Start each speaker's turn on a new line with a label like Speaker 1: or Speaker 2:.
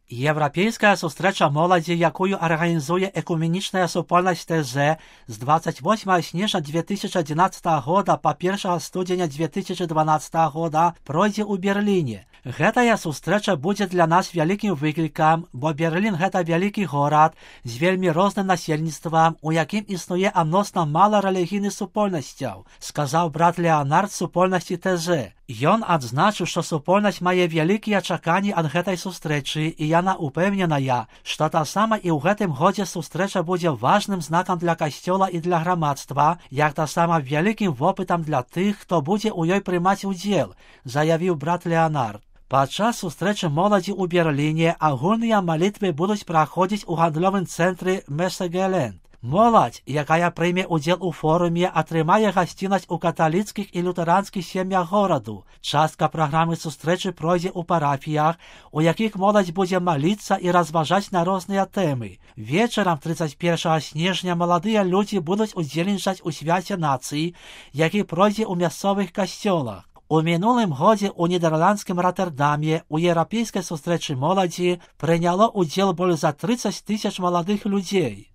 Speaker 1: Європейська зустріча молоді, яку організує Екуменічна супольність ТЗ з 28 січня 2011 года по 1 студеня 2012 года, пройде у Берліні. Гэтая сустрэча будзе для нас вялікім выклікам, бо Берлін гэта вялікі горад з вельмі розным насельніцтвам, у якім існуе адносна мала рэлігійных супольнасцяў, сказаў брат Леонард супольнасці ТЗ. Ён адзначыў, што супольнасць мае вялікія чаканні ад гэтай сустрэчы, і яна упэўненая, што таксама і ў гэтым годзе сустрэча будзе важным знакам для касцёла і для грамадства, як таксама вялікім вопытам для тых, хто будзе ў ёй прымаць удзел, заявіў брат Леонард. Падчас сустрэчы моладзі ў Берліне агульныя малітвы будуць праходзіць у гандлёвым цэнтры Мессегеленд. Моладзь, якая прыме ўдзел у форуме, атрымае гасціннасць у каталіцкіх і лютэранскіх сем'ях гораду. Частка праграмы сустрэчы пройдзе ў парафіях, у якіх моладзь будзе маліцца і разважаць на розныя тэмы. Вечарам 31 снежня маладыя людзі будуць удзельнічаць у свяце нацыі, які пройдзе ў мясцовых касцёлах. У мінулым годзе ў нідэрландскім Роттердаме у еўрапейскай сустрэчы моладзі прыняло ўдзел больш за 30 000 маладых людзей.